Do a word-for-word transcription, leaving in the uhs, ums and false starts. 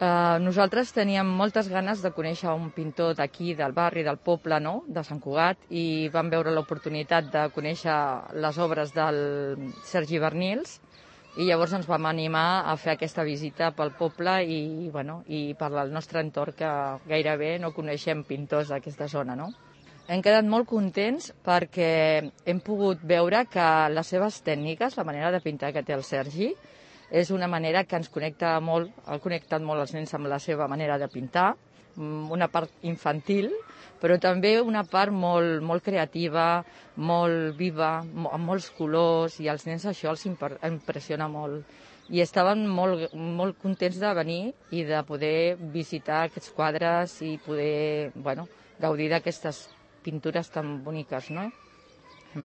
Uh, nosaltres teníem moltes ganes de conèixer un pintor d'aquí, del barri, del poble, no?, de Sant Cugat, i vam veure l'oportunitat de conèixer les obres del Sergi Bernils, i llavors ens vam animar a fer aquesta visita pel poble i, bueno, i per al nostre entorn, que gairebé no coneixem pintors d'aquesta zona, no? Hem quedat molt contents perquè hem pogut veure que les seves tècniques, la manera de pintar que té el Sergi, és una manera que ens connecta molt, ha connectat molt els nens amb la seva manera de pintar, una part infantil, però també una part molt, molt creativa, molt viva, amb molts colors, i als nens això els impressiona molt. I estaven molt, molt contents de venir i de poder visitar aquests quadres i poder, bueno, gaudir d'aquestes pintures tan boniques, no?